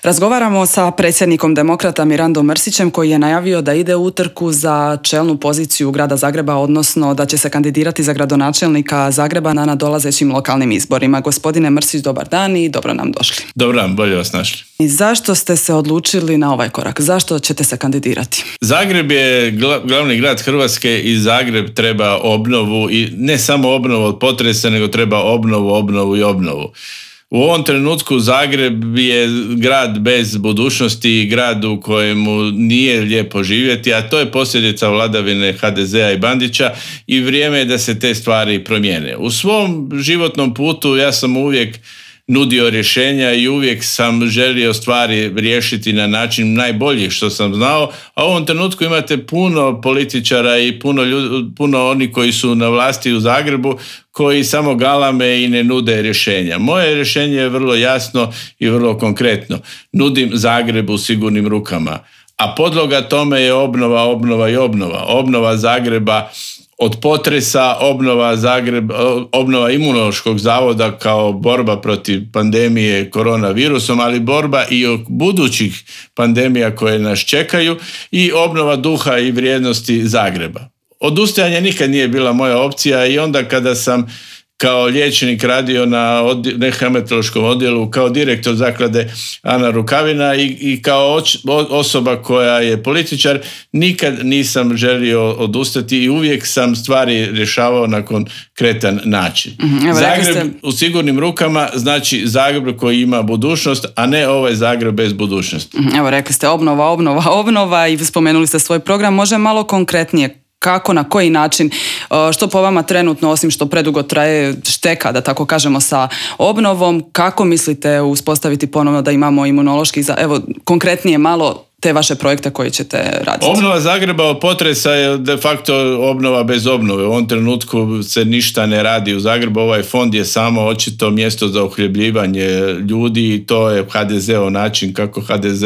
Razgovaramo sa predsjednikom Demokrata Mirandom Mrsićem koji je najavio da ide u utrku za čelnu poziciju grada Zagreba, odnosno da će se kandidirati za gradonačelnika Zagreba na nadolazećim lokalnim izborima. Gospodine Mrsić, dobar dan i dobro nam došli. Dobar dan, bolje vas našli. I zašto ste se odlučili na ovaj korak? Zašto ćete se kandidirati? Zagreb je glavni grad Hrvatske i Zagreb treba obnovu i ne samo obnovu od potresa, nego treba obnovu i obnovu. U ovom trenutku Zagreb je grad bez budućnosti i grad u kojemu nije lijepo živjeti, a to je posljedica vladavine HDZ-a i Bandića i vrijeme je da se te stvari promijene. U svom životnom putu ja sam uvijek nudio rješenja i uvijek sam želio stvari riješiti na način najbolji što sam znao, a u ovom trenutku imate puno političara i puno oni koji su na vlasti u Zagrebu koji samo galame i ne nude rješenja. Moje rješenje je vrlo jasno i vrlo konkretno. Nudim Zagrebu sigurnim rukama, a podloga tome je obnova i obnova. Obnova Zagreba od potresa, obnova Imunološkog zavoda kao borba protiv pandemije koronavirusom, ali borba i od budućih pandemija koje nas čekaju i obnova duha i vrijednosti Zagreba. Odustajanje nikad nije bila moja opcija i onda kada sam kao liječnik radio na hematološkom odjelu, kao direktor zaklade Ana Rukavina i kao osoba koja je političar, nikad nisam želio odustati i uvijek sam stvari rješavao na konkretan način. Zagreb u sigurnim rukama znači Zagreb koji ima budućnost, a ne ovaj Zagreb bez budućnosti. Evo, rekli ste obnova i spomenuli ste svoj program. Može malo konkretnije? Kako, na koji način, što po vama trenutno, osim što predugo traje šteka, da tako kažemo, sa obnovom, kako mislite uspostaviti ponovno da imamo imunološki, evo konkretnije malo te vaše projekte koje ćete raditi? Obnova Zagreba od potresa je de facto obnova bez obnove. U ovom trenutku se ništa ne radi u Zagrebu. Ovaj fond je samo očito mjesto za uhljebljivanje ljudi i to je HDZ-ov način kako HDZ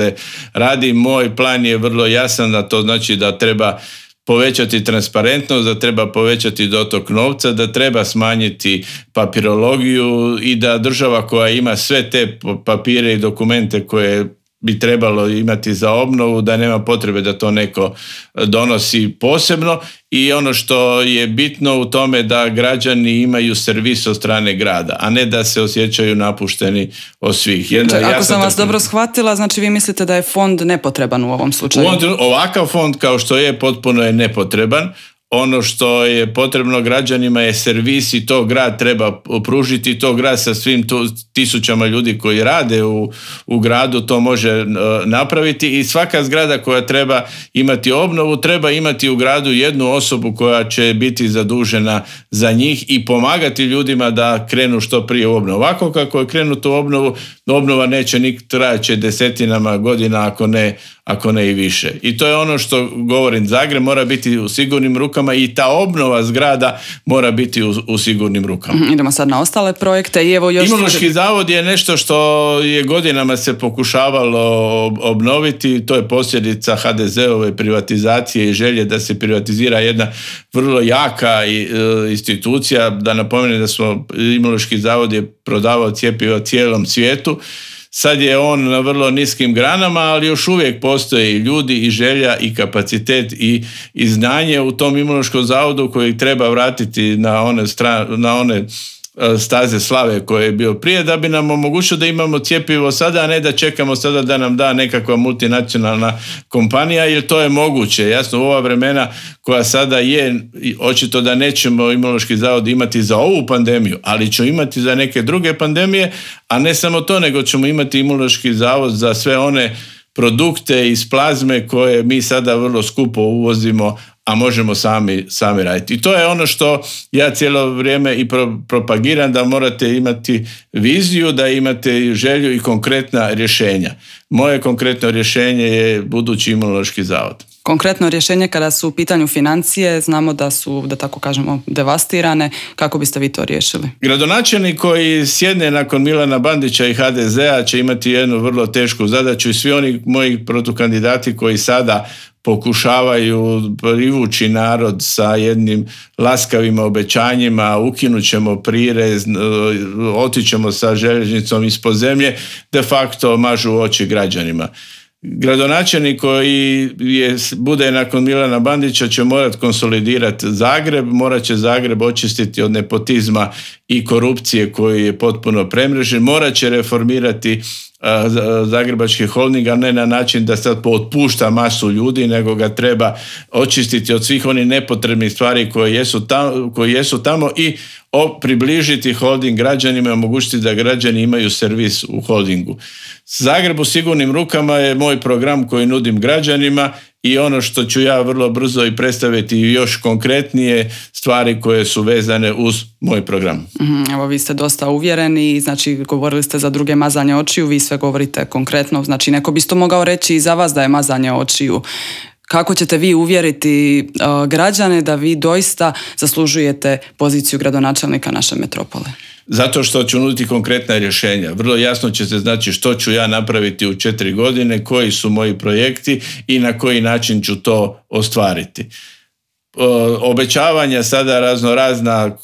radi. Moj plan je vrlo jasan, da to znači da treba povećati transparentnost, da treba povećati dotok novca, da treba smanjiti papirologiju i da država koja ima sve te papire i dokumente koje bi trebalo imati za obnovu, da nema potrebe da to neko donosi posebno. I ono što je bitno u tome da građani imaju servis od strane grada, a ne da se osjećaju napušteni od svih. Ako sam vas dobro shvatila, znači vi mislite da je fond nepotreban u ovom slučaju? Ovakav fond kao što je potpuno je nepotreban. Ono što je potrebno građanima je servis i to grad treba pružiti, to grad sa svim tisućama ljudi koji rade u gradu to može napraviti i svaka zgrada koja treba imati obnovu treba imati u gradu jednu osobu koja će biti zadužena za njih i pomagati ljudima da krenu što prije u obnovu. Ovako kako je krenuto u obnovu, obnova neće trajaće desetinama godina ako ne i više. I to je ono što govorim, Zagreb mora biti u sigurnim rukama i ta obnova zgrada mora biti u sigurnim rukama. Idemo sad na ostale projekte. I evo još... Imunološki zavod je nešto što je godinama se pokušavalo obnoviti, to je posljedica HDZ-ove privatizacije i želje da se privatizira jedna vrlo jaka institucija. Da napomenem da smo Imunološki zavod je prodavao cjepiva cijelom svijetu. Sad je on na vrlo niskim granama, ali još uvijek postoje i ljudi i želja i kapacitet i znanje u tom Imunološkom zavodu koji treba vratiti na one staze slave koje je bio prije, da bi nam omogućilo da imamo cjepivo sada, a ne da čekamo sada da nam da nekakva multinacionalna kompanija, jer to je moguće. Jasno, u ova vremena koja sada je, očito da nećemo Imunološki zavod imati za ovu pandemiju, ali ćemo imati za neke druge pandemije, a ne samo to, nego ćemo imati Imunološki zavod za sve one produkte iz plazme koje mi sada vrlo skupo uvozimo, a možemo sami raditi. I to je ono što ja cijelo vrijeme i propagiram, da morate imati viziju, da imate želju i konkretna rješenja. Moje konkretno rješenje je budući Imunološki zavod. Konkretno rješenje kada su u pitanju financije, znamo da su, da tako kažemo, devastirane. Kako biste vi to riješili? Gradonačelnik koji sjedne nakon Milana Bandića i HDZ-a će imati jednu vrlo tešku zadaću i svi oni moji protukandidati koji sada pokušavaju privući narod sa jednim laskavim obećanjima, ukinut ćemo prirez, otićemo sa željeznicom ispod zemlje, de facto mažu oči građanima. Gradonačelnik koji bude nakon Milana Bandića će morati konsolidirati Zagreb, morat će Zagreb očistiti od nepotizma i korupcije koji je potpuno premrežen, morat će reformirati Zagrebački holding, a ne na način da sad otpušta masu ljudi, nego ga treba očistiti od svih onih nepotrebnih stvari koje jesu tamo i približiti holding građanima i omogućiti da građani imaju servis u holdingu. Zagreb u sigurnim rukama je moj program koji nudim građanima i ono što ću ja vrlo brzo i predstaviti još konkretnije stvari koje su vezane uz moj program. Evo, vi ste dosta uvjereni, znači govorili ste za druge mazanje očiju, vi sve govorite konkretno, znači neko bi to mogao reći i za vas da je mazanje očiju. Kako ćete vi uvjeriti građane da vi doista zaslužujete poziciju gradonačelnika naše metropole? Zato što ću nuditi konkretna rješenja. Vrlo jasno će se znači što ću ja napraviti u 4 godine, koji su moji projekti i na koji način ću to ostvariti. Obećavanja sada raznorazna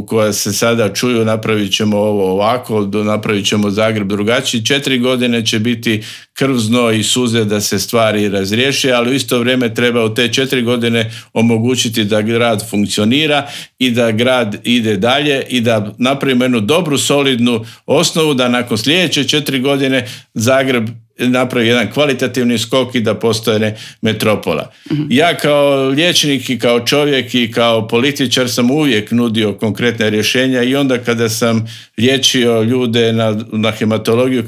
koja se sada čuju, napravit ćemo ovo ovako, napravit ćemo Zagreb drugačiji. 4 godine će biti krv, znoj i suze da se stvari razriješe, ali u isto vrijeme treba u te 4 godine omogućiti da grad funkcionira i da grad ide dalje i da napravimo jednu dobru, solidnu osnovu da nakon sljedeće 4 godine Zagreb napravi jedan kvalitativni skok i da postane metropola. Ja kao liječnik i kao čovjek i kao političar sam uvijek nudio konkretne rješenja i onda kada sam liječio ljude na hematologiju,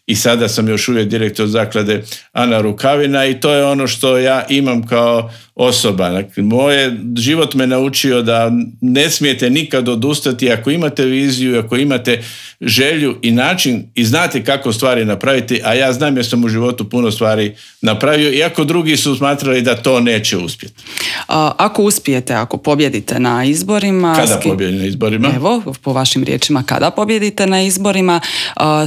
i sada sam još uvijek direktor zaklade Ana Rukavina i to je ono što ja imam kao osoba. Dakle, život me naučio da ne smijete nikad odustati ako imate viziju, ako imate želju i način i znate kako stvari napraviti, a ja znam jer sam u životu puno stvari napravio, iako drugi su smatrali da to neće uspjeti. Ako uspijete, ako pobjedite na izborima... Kada pobjedim na izborima? Evo, po vašim riječima, kada pobjedite na izborima,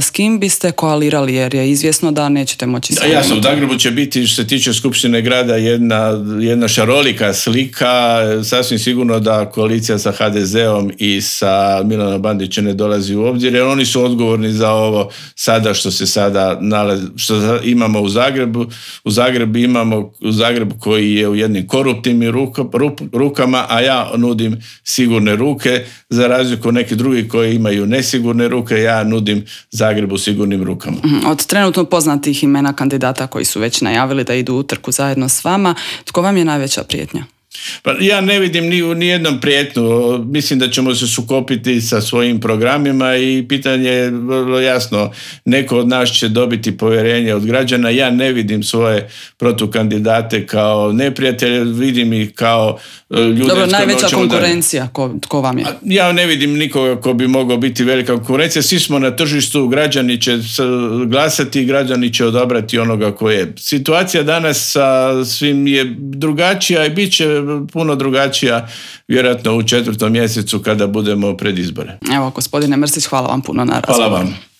s kim biste koalirali, jer je izvjesno da nećete moći... Jasno, u Zagrebu će biti, što se tiče Skupštine grada, jedna šarolika slika, sasvim sigurno da koalicija sa HDZ-om i sa Milanom Bandićem ne dolazi u obzir, jer oni su odgovorni za ovo sada što se sada što imamo u Zagrebu. U Zagrebu koji je u jednim koruptivnim rukama, a ja nudim sigurne ruke, za razliku od nekih drugih koji imaju nesigurne ruke, ja nudim Zagrebu sigurnim rukama. Od trenutno poznatih imena kandidata koji su već najavili da idu u utrku zajedno s vama, tko vam je najveća prijetnja? Pa ja ne vidim ni jednom prijetnju. Mislim da ćemo se sukopiti sa svojim programima i pitanje je vrlo jasno. Neko od nas će dobiti povjerenje od građana. Ja ne vidim svoje protukandidate kao neprijatelje, vidim ih kao ljude... Dobro, najveća konkurencija, tko vam je? Ja ne vidim nikoga ko bi mogao biti velika konkurencija. Svi smo na tržištu, građani će glasati, građani će odabrati onoga ko je. Situacija danas sa svim je drugačija i bit će puno drugačija vjerojatno u 4. mjesecu kada budemo pred izbore. Evo, gospodine Mrsić, hvala vam puno na razgovoru. Hvala vam.